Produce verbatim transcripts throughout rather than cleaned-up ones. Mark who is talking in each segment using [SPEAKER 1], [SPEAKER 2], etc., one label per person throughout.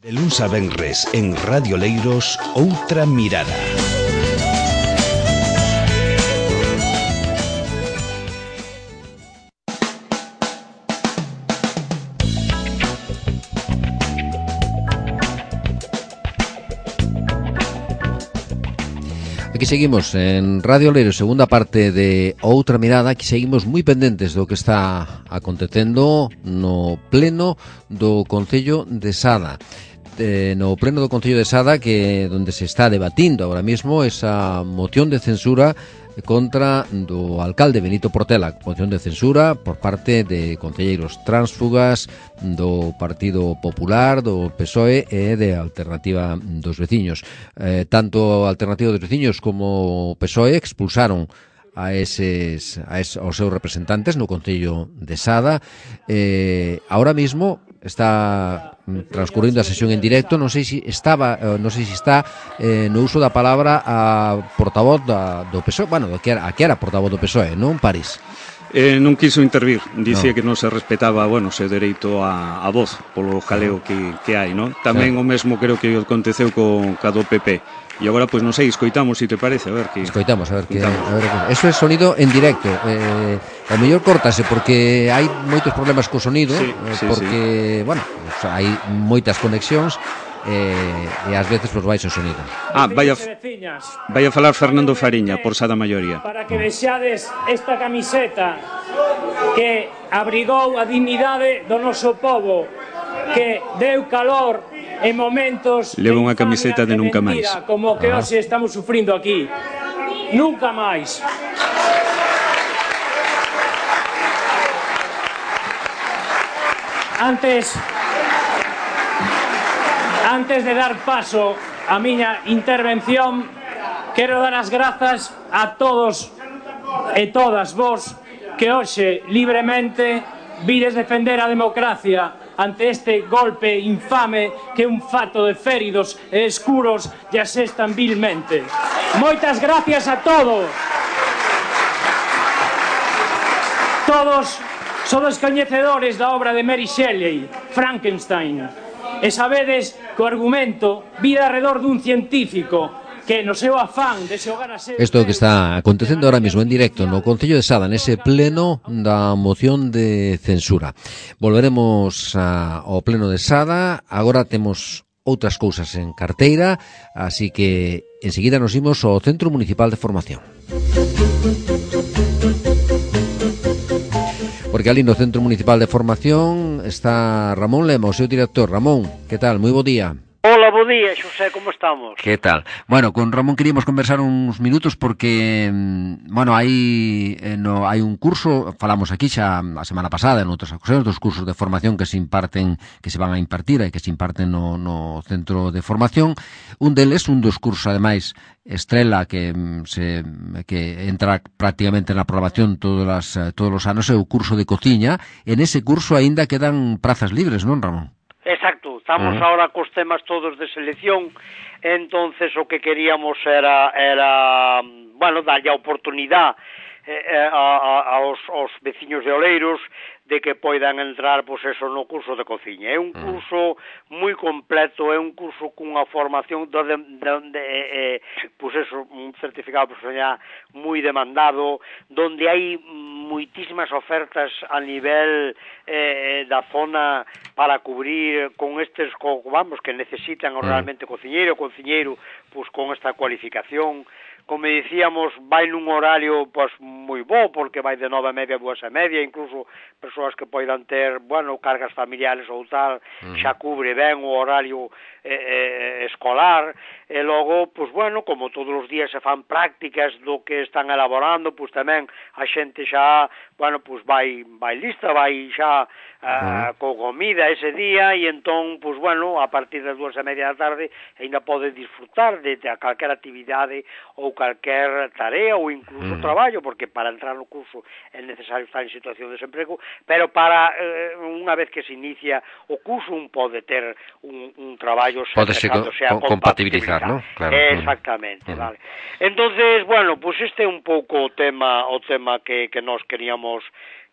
[SPEAKER 1] De luns a venres en Radio Leiros, Outra Mirada.
[SPEAKER 2] Aquí seguimos en Radio Leiros, segunda parte de Outra Mirada. Aquí seguimos moi pendentes do que está acontecendo no pleno do Concello de Sada. Eh, no pleno do Concello de Sada, que donde se está debatindo ahora mismo esa moción de censura contra do alcalde Benito Portela, moción de censura por parte de concelleiros tránsfugas do Partido Popular, do P S O E e de Alternativa dos Veciños. Eh, tanto Alternativa dos Veciños como o P S O E expulsaron a eses, a eses aos seus representantes no Concello de Sada. Eh, ahora mismo está transcurrindo a sesión en directo. Non sei se estaba, non sei se está eh, no uso da palabra a portavoz da, do P S O E, bueno, do que era, a que era portavoz do P S O E, non, París?
[SPEAKER 3] Eh, non quiso intervir, dicía
[SPEAKER 2] no.
[SPEAKER 3] que non se respetaba, bueno, o seu dereito a, a voz polo jaleo que, que hai, non? Tamén claro. O mesmo creo que aconteceu con ca do P P. E agora, pois, non sei, escoitamos, se te parece, a ver que...
[SPEAKER 2] Escoitamos, a ver que... A ver, eso é sonido en directo. Eh, o mellor córtase, porque hai moitos problemas co sonido,
[SPEAKER 3] sí,
[SPEAKER 2] eh,
[SPEAKER 3] sí,
[SPEAKER 2] porque, sí. bueno, o sea, hai moitas conexións, eh, e ás veces, pois, vais o sonido.
[SPEAKER 3] Ah, vai a, vai a falar Fernando Fariña, por Sada Maioría.
[SPEAKER 4] Para que vexades esta camiseta que abrigou a dignidade do noso povo, que deu calor en momentos
[SPEAKER 3] leva unha camiseta de nunca máis,
[SPEAKER 4] como que hoxe estamos sufrindo aquí. Nunca máis. Antes antes de dar paso a miña intervención, quero dar as grazas a todos e todas vos que hoxe libremente vides defender a democracia ante este golpe infame que un fato de féridos e escuros lle asestan vilmente. Moitas gracias a todos. Todos sodes coñecedores da obra de Mary Shelley, Frankenstein, e sabedes que o argumento vira alrededor dun científico que no seu afán de xogar a ser...
[SPEAKER 2] Isto que está acontecendo ahora mismo en directo no Concello de Sada, nese pleno da moción de censura. Volveremos a, ao pleno de Sada. Agora temos outras cousas en carteira, así que enseguida nos imos ao Centro Municipal de Formación. Porque ali no Centro Municipal de Formación está Ramón Lema, o seu director. Ramón, que tal? Moi bo día.
[SPEAKER 5] Hola, bo día, Xosé, como estamos?
[SPEAKER 2] Que tal? Bueno, con Ramón queríamos conversar uns minutos porque, bueno, hai eh, no, hai un curso, falamos aquí xa a semana pasada en outras ocasións, dos cursos de formación que se imparten, que se van a impartir e que se imparten no, no centro de formación. Un deles, un dos cursos, ademais, estrela que se que entra prácticamente na programación todos as, todos os anos, é o curso de cociña. En ese curso aínda quedan prazas libres, non, Ramón?
[SPEAKER 5] Exacto, estamos uh-huh. ahora cos temas todos de selección, entonces o que queríamos era, era bueno, darlle a oportunidade eh, a, a, aos, aos veciños de Oleiros de que poidan entrar, pois eso, no curso de cociña. É un curso moi completo, é un curso cunha formación donde, donde eh, pois eso, un certificado profesional moi demandado, donde hai moitísimas ofertas a nivel eh, da zona para cubrir con estes, co, vamos, que necesitan realmente cociñeiro, cociñeiro, pois con esta cualificación. Como dicíamos, vai nun horario pois moi bo, porque vai de nove e media a dúas e media, incluso persoas que poidan ter, bueno, cargas familiares ou tal, uh-huh. xa cubre ben o horario eh, eh, escolar, e logo, pois bueno, como todos os días se fan prácticas do que están elaborando, pois tamén a xente xa, bueno, pois vai, vai lista, vai xa uh, co comida ese día, e entón, pois bueno, a partir das dúas e media da tarde, ainda pode disfrutar de, de calquer actividade ou calquer tarea ou incluso mm. traballo, porque para entrar no curso é necesario estar en situación de desemprego, pero para eh, unha vez que se inicia o curso un pode ter un, un traballo
[SPEAKER 2] pode se co
[SPEAKER 5] sea
[SPEAKER 2] compatibilizar, ¿no? Claro.
[SPEAKER 5] Exactamente, mm. vale. Entonces, bueno, pues este é un pouco o tema o tema que, que nós queríamos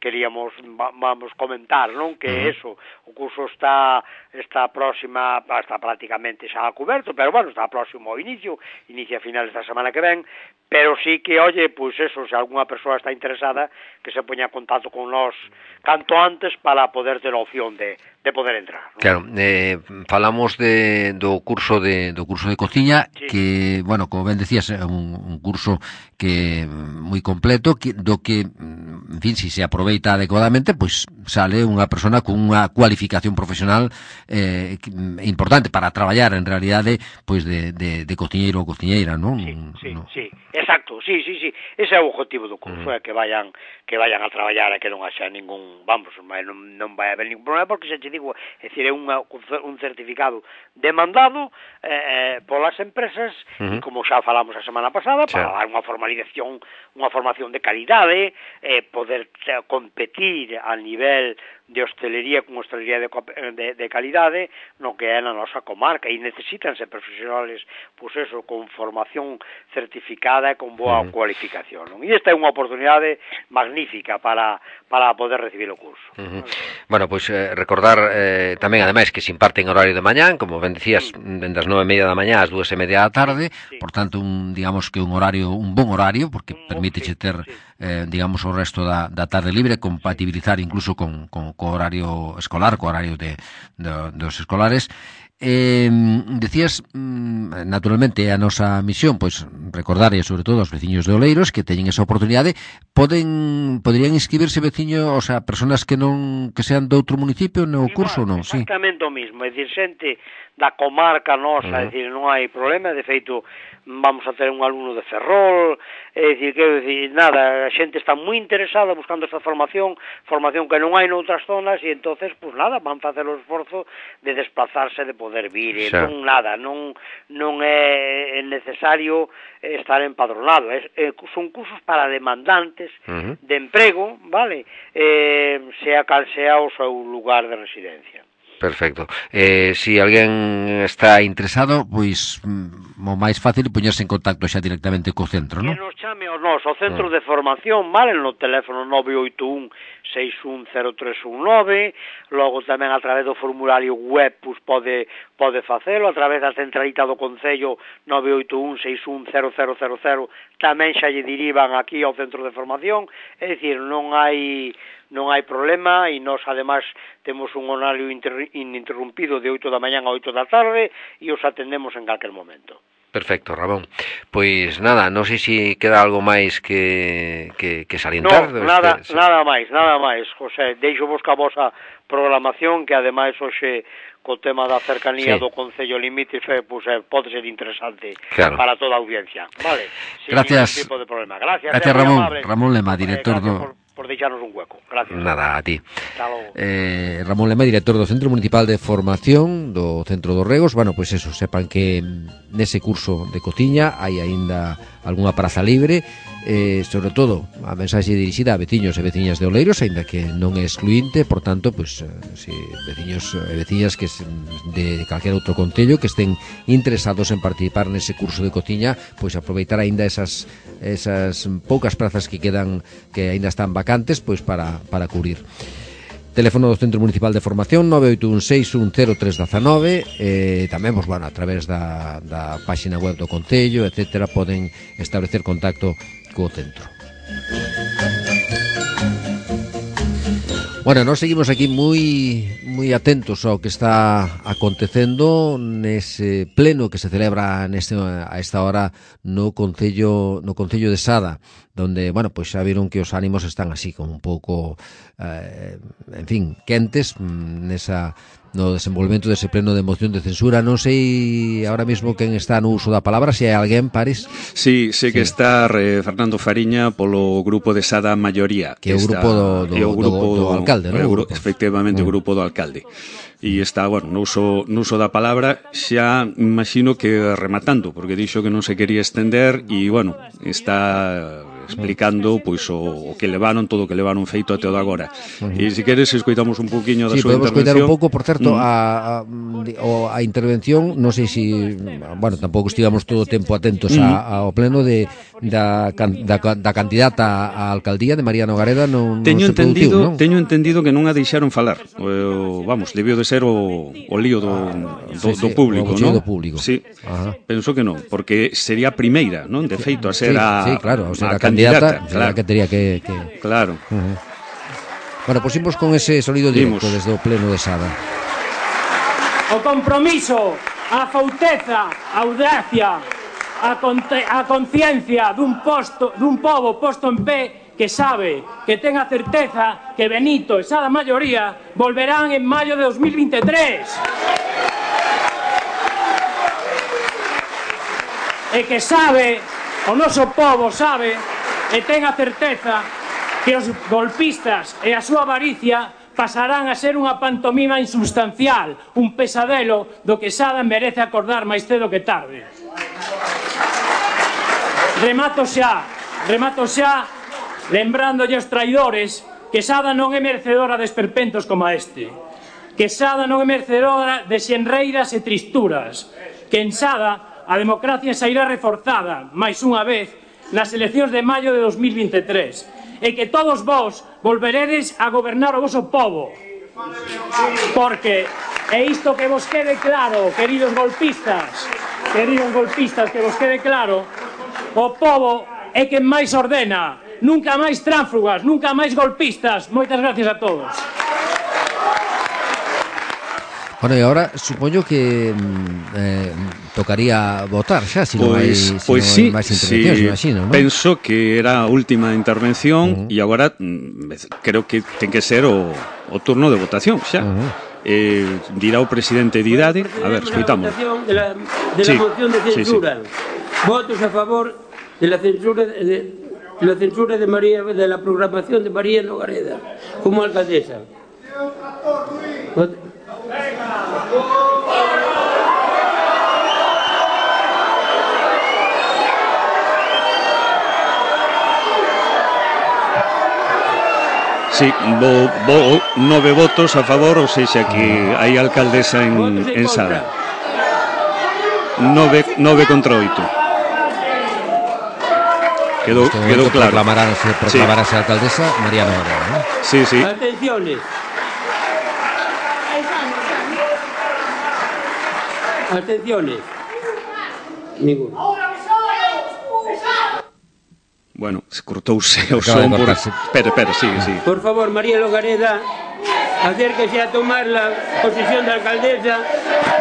[SPEAKER 5] queríamos va, vamos comentar, non? Que uh-huh. eso, o curso está está próxima, está prácticamente xa coberto, pero bueno, está próximo ao inicio, inicia a finales da semana que ven, pero sí que, oye, pois pues eso, se algunha persoa está interesada, que se poña en contacto con nós canto antes para poder ter a opción de, de poder entrar, ¿no?
[SPEAKER 2] Claro, eh, falamos de, do curso de do curso de cociña, sí. Que, bueno, como ben decías, é un, un curso que moi completo, que, do que, en fin, si se aproveita adecuadamente, pois pues, sale unha persona con unha cualificación profesional eh, importante para traballar, en realidade, pois pues de, de, de cociñeiro ou cociñeira, non?
[SPEAKER 5] Sí, sí, no. sí, exacto, sí, sí, sí, ese é o objetivo do curso, é uh-huh. que vayan que vayan a traballar e que non haxa ningún, vamos, non, non vai haber ningún problema, porque se te digo, é dicir, é unha, un certificado demandado eh, polas empresas, uh-huh. e como xa falamos a semana pasada, sí. para dar unha formalización, unha formación de calidade, eh, poder competir a nivel de hostelería con hostelería de, de, de calidade no que é na nosa comarca, e necesitanse profesionales, pois pues eso, con formación certificada e con boa uh-huh. cualificación, non? E esta é unha oportunidade magnífica para, para poder recibir o curso.
[SPEAKER 2] Uh-huh. Bueno, pois pues, eh, recordar eh, tamén, ademais, que se imparte en horario de mañán, como ben dicías, uh-huh. dende as nove e media da mañá ás dúas e media da tarde, sí. Por tanto, un, digamos que un horario, un bon horario, porque uh-huh. permíteche ter, sí, sí. Eh, digamos, o resto da, da tarde libre, compatibilizar incluso con, con co horario escolar, co horario de, de dos escolares. Eh, decías, naturalmente, a nosa misión, pois, recordar, e sobre todo aos veciños de Oleiros que teñen esa oportunidade, poden poderían inscribirse veciños, o sea, personas que non que sean de outro municipio no
[SPEAKER 5] Igual,
[SPEAKER 2] curso, non?
[SPEAKER 5] Exactamente sí. O mismo, é dicir, xente da comarca nosa, uh-huh. é dicir, non hai problema, de feito, vamos a ter un alumno de Ferrol, é dicir, quero dicir, nada, a xente está moi interesada buscando esta formación, formación que non hai noutras zonas, e entonces, pues nada, van facer o esforzo de desplazarse, de poder vir, e non nada, non non é necesario estar empadronado, é, é, son cursos para demandantes uh-huh. de emprego, vale, eh, sea cal sea o seu lugar de residencia.
[SPEAKER 2] Perfecto. Eh, si alguén está interesado, pois o máis fácil é poñerse en contacto xa directamente co centro, non?
[SPEAKER 5] Que nos chame o nos, o centro ah. de formación, vale, no teléfono nove oito un seis un cero tres un nove, logo tamén a través do formulario web, pois pode pode facelo, a través da centralita do Concello nove oito un seis un cero cero cero cero, tamén xa lle derivan aquí ao centro de formación, é dicir, non hai non hai problema, e nós ademais temos un horario inter, ininterrumpido de oito da mañá a oito da tarde e os atendemos en calquer momento.
[SPEAKER 2] Perfecto, Ramón. Pois nada, non sei se queda algo máis que, que, que salientar.
[SPEAKER 5] No, nada, este, nada máis, nada máis, José, deixo vos ca vosa programación, que ademais hoxe co tema da cercanía sí. do Concello Limítrofe, pois pues, pode ser interesante claro. para toda a audiencia. Vale, sin
[SPEAKER 2] gracias.
[SPEAKER 5] ningún tipo de problema. Gracias,
[SPEAKER 2] gracias Ramón. Ramón Lema, director
[SPEAKER 5] eh,
[SPEAKER 2] do...
[SPEAKER 5] Por, por deixarnos un hueco. Gracias.
[SPEAKER 2] Nada, a ti. Eh, Ramón Lema, director do Centro Municipal de Formación do Centro dos Regos. Bueno, pois pues eso, sepan que nese curso de cociña hai aínda algunha praza libre, eh, sobre todo a mensaxe dirixida a veciños e veciñas de Oleiros, aínda que non é excluinte, por tanto, pois, pues, si veciños e veciñas que de calquer outro concello que estén interesados en participar nese curso de cociña, pois aproveitar aínda esas esas poucas prazas que quedan, que aínda están vacantes, pois para para cubrir. Teléfono do Centro Municipal de Formación nove oito un seis un cero tres un nove, eh, tamén, pues, bueno, a través da, da páxina web do Concello, etcétera, poden establecer contacto co centro. Bueno, nós seguimos aquí moi moi atentos ao que está acontecendo nese pleno que se celebra neste, a esta hora no Concello no Concello de Sada, donde, bueno, pois xa viron que os ánimos están así como un pouco eh, en fin, quentes nesa no desenvolvemento dese pleno de moción de censura. Non sei ahora mesmo quen está no uso da palabra, se hai alguén, Paris.
[SPEAKER 3] Sí, sei sí. que está eh, Fernando Fariña polo grupo de Sada Maioría,
[SPEAKER 2] que é o grupo do, do, o grupo do, do alcalde, non?
[SPEAKER 3] O grupo, efectivamente, mm. o grupo do alcalde. E está, bueno, no uso, no uso da palabra, xa imagino que rematando, porque dixo que non se quería estender e, bueno, está explicando pois o, o que levaron, todo o que levaron feito até o de agora. Uh-huh. E se queres escoitamos un poquinho da
[SPEAKER 2] sí,
[SPEAKER 3] súa intervención. Sí,
[SPEAKER 2] podemos escoitar un pouco, por certo, uh-huh. a, a, a intervención, non sei se, bueno, tampouco estivamos todo o tempo atentos uh-huh. a, ao pleno de, da, da, da candidata á alcaldía de María Nogareda non,
[SPEAKER 3] teño
[SPEAKER 2] non se
[SPEAKER 3] entendido,
[SPEAKER 2] produciu, non?
[SPEAKER 3] Teño entendido que non a deixaron falar. O, vamos, debió de ser o, o lío do, do,
[SPEAKER 2] sí, sí,
[SPEAKER 3] do público,
[SPEAKER 2] o
[SPEAKER 3] non?
[SPEAKER 2] do público.
[SPEAKER 3] Sí,
[SPEAKER 2] Ajá.
[SPEAKER 3] penso que non, porque sería a primeira, non? De feito, a ser
[SPEAKER 2] sí,
[SPEAKER 3] a,
[SPEAKER 2] sí, claro, o sea,
[SPEAKER 3] a,
[SPEAKER 2] a candidata,
[SPEAKER 3] candidata,
[SPEAKER 2] claro. Que tería que... que...
[SPEAKER 3] Claro.
[SPEAKER 2] Uh-huh. Bueno, pues imos con ese sonido directo
[SPEAKER 3] Dimos.
[SPEAKER 2] desde o pleno de Sada.
[SPEAKER 4] O compromiso, a fauteza, a audacia, a, conte, a conciencia dun posto, dun pobo posto en pé que sabe, que ten a certeza que Benito e Sada maioría volverán en maio de dos mil veintitrés. E que sabe, o noso pobo sabe, e ten a certeza que os golpistas e a súa avaricia pasarán a ser unha pantomima insubstancial, un pesadelo do que Sada merece acordar máis cedo que tarde. Remato xa, remato xa, lembrándolle aos traidores que Sada non é merecedora de esperpentos como este, que Sada non é merecedora de xenreiras e tristuras, que en Sada a democracia sairá reforzada, máis unha vez, nas eleccións de maio de dos mil veintitrés, e que todos vós volveredes a gobernar o voso povo. Porque, e isto que vos quede claro, queridos golpistas, queridos golpistas, que vos quede claro, o povo é quen máis ordena, nunca máis tránsfugas, nunca máis golpistas. Moitas gracias a todos.
[SPEAKER 2] Bueno, e agora supoño que eh, tocaría votar xa, se non hai,
[SPEAKER 3] Pois,
[SPEAKER 2] si
[SPEAKER 3] pois
[SPEAKER 2] non
[SPEAKER 3] sí,
[SPEAKER 2] hai máis intervencións,
[SPEAKER 3] sí,
[SPEAKER 2] imagino, non?
[SPEAKER 3] penso que era a última intervención e uh-huh. agora mm, creo que ten que ser o, o turno de votación xa. Uh-huh. Eh, dirá o presidente de idade, a ver, escoitamos.
[SPEAKER 6] De la, de
[SPEAKER 3] sí,
[SPEAKER 6] la moción de censura.
[SPEAKER 3] Sí, sí.
[SPEAKER 6] Votos a favor de la censura de, de la censura de María, de la programación de María Nogareda como alcaldesa. Vot-
[SPEAKER 3] Sí, bo, bo, nove votos a favor, ou seja, que hai alcaldesa en, en Sada. Nove, nove contra oito. Quedou, quedou claro.
[SPEAKER 2] Proclamarase, proclamarase sí. A alcaldesa María Nogareda, ¿no?
[SPEAKER 3] Sí, sí.
[SPEAKER 6] Atenciones. Atenciones. Ninguno.
[SPEAKER 3] Bueno, se cortouse o son por... Espera, espera, sigue, sigue.
[SPEAKER 6] Por favor, María Nogareda, acérquese a tomar la posición de alcaldesa.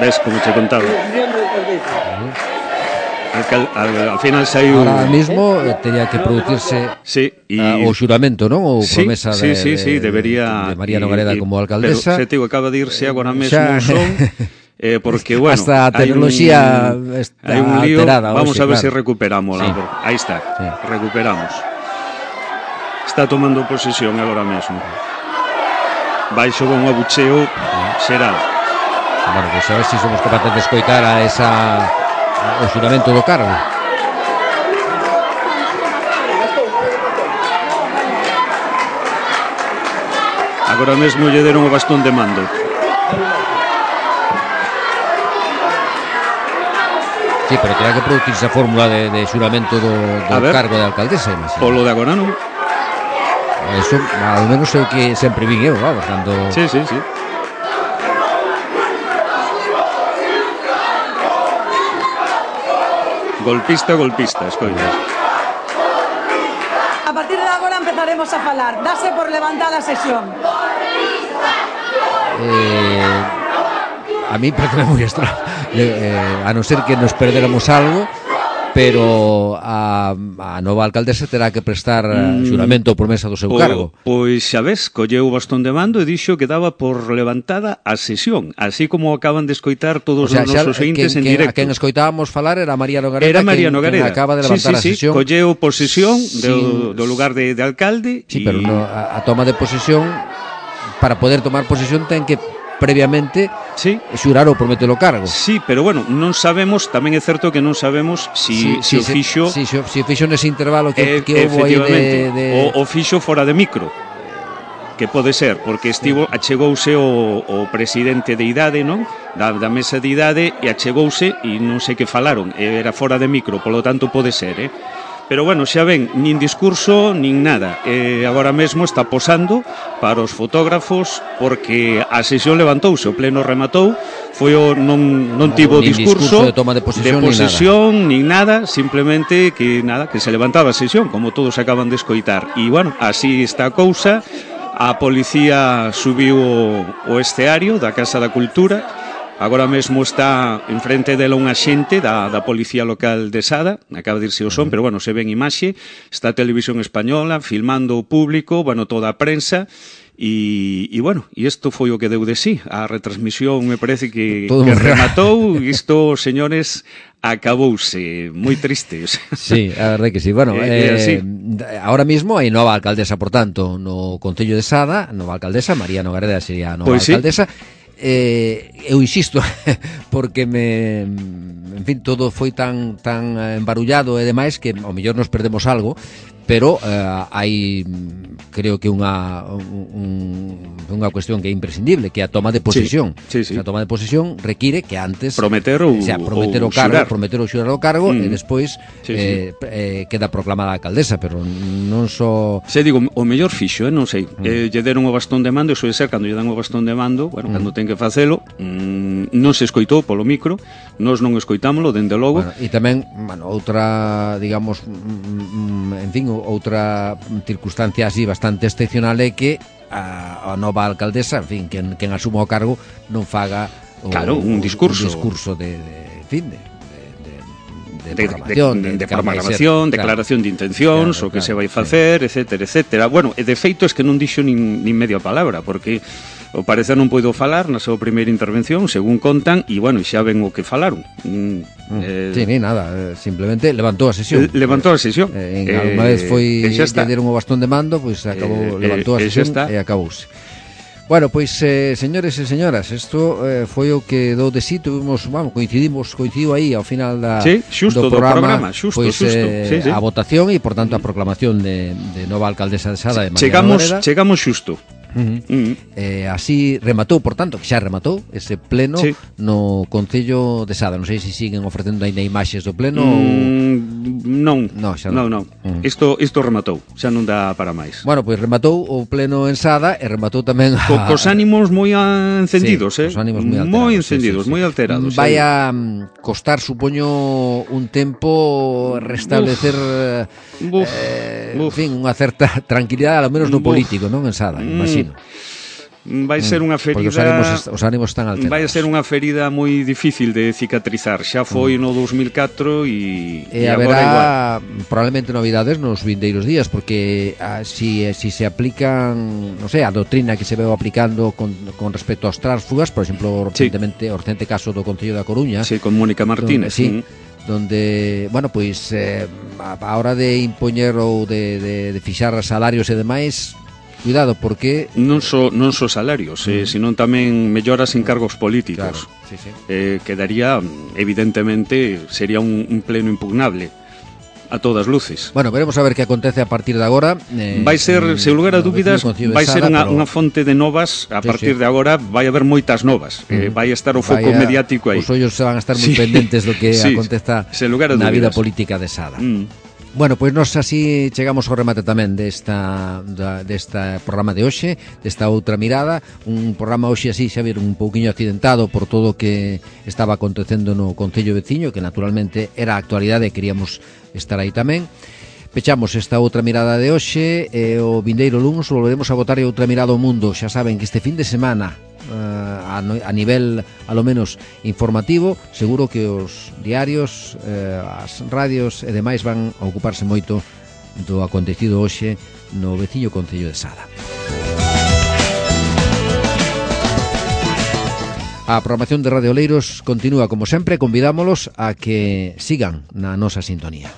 [SPEAKER 3] Ves como te contaba.
[SPEAKER 6] Posición de alcaldesa.
[SPEAKER 3] Alcal, al, al final saiu...
[SPEAKER 2] Ahora mismo eh, teria que producirse
[SPEAKER 3] sí, y...
[SPEAKER 2] uh, o xuramento, non? O
[SPEAKER 3] sí,
[SPEAKER 2] promesa
[SPEAKER 3] sí,
[SPEAKER 2] de,
[SPEAKER 3] sí, sí,
[SPEAKER 2] de,
[SPEAKER 3] debería...
[SPEAKER 2] de María Nogareda
[SPEAKER 3] y,
[SPEAKER 2] como alcaldesa.
[SPEAKER 3] Pero, se te digo, acaba de irse agora mesmo
[SPEAKER 2] xa...
[SPEAKER 3] son... Eh, porque, bueno...
[SPEAKER 2] Hasta a tecnoloxía
[SPEAKER 3] un,
[SPEAKER 2] está
[SPEAKER 3] hai un lío,
[SPEAKER 2] alterada.
[SPEAKER 3] Vamos
[SPEAKER 2] oxe,
[SPEAKER 3] a ver
[SPEAKER 2] claro.
[SPEAKER 3] se recuperamos. Sí. Aí está, sí. Recuperamos. Está tomando posesión agora mesmo. Baixo con un abucheo xeral.
[SPEAKER 2] Bueno, pues a ver se si somos capaces de escoitar a esa... o xuramento do cargo.
[SPEAKER 3] Agora mesmo lle deron o bastón de mando.
[SPEAKER 2] Sí, pero terá que producirse a fórmula de, de xuramento do, do cargo de alcaldesa, imagino.
[SPEAKER 3] Polo de agora non.
[SPEAKER 2] Eso, ao menos é o que sempre vin eu, vamos, cando...
[SPEAKER 3] Sí, sí, sí. Golpista, golpista, escoitas.
[SPEAKER 7] A partir de agora empezaremos a falar. Dase por levantada a sesión.
[SPEAKER 2] Eh, a mí parece moi extraño, eh, a non ser que nos perderamos algo, pero a, a nova alcaldesa terá que prestar mm, xuramento ou promesa do seu
[SPEAKER 3] o,
[SPEAKER 2] cargo.
[SPEAKER 3] Pois xa ves, colleu o bastón de mando e dixo que daba por levantada a sesión, así como acaban de escoitar todos o sea, os nosos ointes en directo.
[SPEAKER 2] A quen escoitábamos falar era María Nogareda,
[SPEAKER 3] era María
[SPEAKER 2] quen,
[SPEAKER 3] Nogareda.
[SPEAKER 2] Quen acaba de levantar
[SPEAKER 3] sí, sí,
[SPEAKER 2] a sesión.
[SPEAKER 3] Sí, colleu posesión
[SPEAKER 2] sí,
[SPEAKER 3] do, do lugar de, de alcalde.
[SPEAKER 2] Sí,
[SPEAKER 3] y...
[SPEAKER 2] pero no, a, a toma de posesión, para poder tomar posesión ten que previamente
[SPEAKER 3] sí.
[SPEAKER 2] xurar ou prometer o cargo.
[SPEAKER 3] Sí, pero bueno, non sabemos, tamén é certo que non sabemos si,
[SPEAKER 2] sí,
[SPEAKER 3] si
[SPEAKER 2] sí,
[SPEAKER 3] o fixo...
[SPEAKER 2] Si, si, si o fixo nese intervalo que,
[SPEAKER 3] eh,
[SPEAKER 2] que houve aí de... de...
[SPEAKER 3] O, o fixo fora de micro, que pode ser, porque estivo, achegouse o, o presidente de idade, non? Da, da mesa de idade, e achegouse e non sei que falaron, era fora de micro, polo tanto pode ser, eh? Pero bueno, xa ven, nin discurso, nin nada. Eh, agora mesmo está posando para os fotógrafos porque a sesión levantouse, o pleno rematou, foi o non non tivo
[SPEAKER 2] nin
[SPEAKER 3] discurso,
[SPEAKER 2] discurso de toma de posesión,
[SPEAKER 3] de posesión nin nada, simplemente que nada, que se levantaba a sesión, como todos acaban de escoitar. E bueno, así está a cousa. A policía subiu o, o esteario da Casa da Cultura. Agora mesmo está enfrente dela unha xente da, da Policía Local de Sada, acaba de irse o son, pero bueno, se ven imaxe, está a Televisión Española, filmando o público, bueno, toda a prensa, e, e bueno, e isto foi o que deu de sí, a retransmisión me parece que, que rematou, isto, señores, acabouse, moi triste.
[SPEAKER 2] Sí, a verdade que sí, bueno, eh, eh, ahora mismo hai nova alcaldesa, por tanto, no Concello de Sada, nova alcaldesa, María Noguereda sería nova pues alcaldesa, sí. Eh, eu insisto porque me, en fin, todo foi tan tan embarullado e demais que ao mellor nos perdemos algo, pero eh, hai, creo que unha un, unha cuestión que é imprescindible, que é a toma de posesión.
[SPEAKER 3] Sí, sí, sí.
[SPEAKER 2] A toma de posesión require que antes
[SPEAKER 3] prometer ou,
[SPEAKER 2] o sea, prometer o,
[SPEAKER 3] o
[SPEAKER 2] cargo,
[SPEAKER 3] xurar.
[SPEAKER 2] prometer o xurar o cargo mm. e despois
[SPEAKER 3] sí,
[SPEAKER 2] eh,
[SPEAKER 3] sí.
[SPEAKER 2] eh, queda proclamada a alcaldesa, pero non só
[SPEAKER 3] Se digo, o mellor fixo, eh, non sei, mm. eh, lle deron o bastón de mando, e soe ser cando lle dan o bastón de mando, bueno, mm. cando ten que facelo, mm, non se escoitou polo micro, nós non escoitámolo, dende logo.
[SPEAKER 2] Bueno, e tamén, bueno, outra, digamos, mm, en fin, outra circunstancia así bastante excepcional é que a, a nova alcaldesa, en fin, quen, quen asuma o cargo non faga o,
[SPEAKER 3] claro, un discurso,
[SPEAKER 2] un discurso de, de, en fin, de
[SPEAKER 3] de, de programación, de, de, de, de, programación ser, declaración claro, de intencións, claro, o que claro, se vai facer, sí. etcétera, etcétera. Bueno, e de feito es que non dixo nin, nin media palabra, porque o parecer non poido falar na súa primeira intervención, según contan, e bueno, xa ven o que falaron. Mm,
[SPEAKER 2] eh, sí, ni nada, simplemente levantou a sesión.
[SPEAKER 3] Levantou a sesión.
[SPEAKER 2] Eh, en eh, alguna vez foi que deron o bastón de mando, pois pues, acabou, eh, levantou a sesión e acabouse. Bueno, pois, eh, señores e señoras, isto eh, foi o que dou de sí, tuvimos, vamos, coincidimos, coincidiu aí ao final da,
[SPEAKER 3] sí, xusto,
[SPEAKER 2] do programa,
[SPEAKER 3] do programa xusto,
[SPEAKER 2] pois,
[SPEAKER 3] xusto,
[SPEAKER 2] eh,
[SPEAKER 3] sí, sí.
[SPEAKER 2] a votación e, por tanto, a proclamación de, de nova alcaldesa de Sada, de María
[SPEAKER 3] chegamos,
[SPEAKER 2] Noguereda.
[SPEAKER 3] Chegamos xusto.
[SPEAKER 2] Uh-huh. Uh-huh. Eh, así rematou, por tanto, que xa rematou ese pleno sí. no Concello de Sada. Non sei se siguen ofrecendo ainda imaxes do pleno mm,
[SPEAKER 3] ou... Non,
[SPEAKER 2] no, xa non.
[SPEAKER 3] non, non. Uh-huh. Isto, isto rematou, xa non dá para máis.
[SPEAKER 2] Bueno, pois rematou o pleno en Sada e rematou tamén a...
[SPEAKER 3] Co, cos ánimos moi encendidos,
[SPEAKER 2] sí,
[SPEAKER 3] eh?
[SPEAKER 2] Cos ánimos moi alterados.
[SPEAKER 3] Moi encendidos, sí, sí, sí. moi alterados.
[SPEAKER 2] Vai a eh. costar, supoño, un tempo restablecer
[SPEAKER 3] uf,
[SPEAKER 2] eh,
[SPEAKER 3] uf.
[SPEAKER 2] en fin, unha certa tranquilidade, ao menos no político, uf. non en Sada, imagino.
[SPEAKER 3] Vai ser unha ferida...
[SPEAKER 2] Porque os ánimos, os ánimos están alterados.
[SPEAKER 3] Vai ser unha ferida moi difícil de cicatrizar. Xa foi no dos mil catro e,
[SPEAKER 2] e, e haberá probablemente novidades nos vindeiros días, porque a, si, si se aplican, non sei, a doutrina que se veu aplicando con, con respecto aos tránsfugas, por exemplo, recentemente, sí. o recente caso do Concello da Coruña.
[SPEAKER 3] Sí, con Mónica Martínez.
[SPEAKER 2] Donde, sí, mm. donde, bueno, pois eh, a hora de impoñer ou de, de, de fixar salarios e demais, cuidado, porque
[SPEAKER 3] non só non só salarios, eh, mm. senón tamén melloras en cargos políticos.
[SPEAKER 2] Claro, sí, sí.
[SPEAKER 3] Eh, quedaría, evidentemente, sería un, un pleno impugnable a todas luces.
[SPEAKER 2] Bueno, veremos a ver que acontece a partir de agora. Eh,
[SPEAKER 3] vai ser, en, sen lugar a dúbidas, vai ser unha, pero... unha fonte de novas. A sí, partir sí. de agora vai haber moitas novas. Mm. Eh, vai estar o foco Vaya, mediático aí.
[SPEAKER 2] Os ollos van a estar moi sí. pendentes do que sí. aconteza na vida política de Sada.
[SPEAKER 3] Mm.
[SPEAKER 2] Bueno, pois nós así chegamos ao remate tamén desta da, desta programa de hoxe, desta outra mirada, un programa hoxe así, xa viron, un pouquiño accidentado por todo o que estaba acontecendo no Concello veciño, que naturalmente era a actualidade e queríamos estar aí tamén. Pechamos esta outra mirada de hoxe e o vindeiro luns volveremos a botar outra mirada ao mundo. Xa saben que este fin de semana uh, a, a nivel, a lo menos, informativo, seguro que os diarios, uh, as radios e demais van a ocuparse moito do acontecido hoxe no veciño Concello de Sada. A programación de Radio Oleiros continúa como sempre, convidámolos a que sigan na nosa sintonía.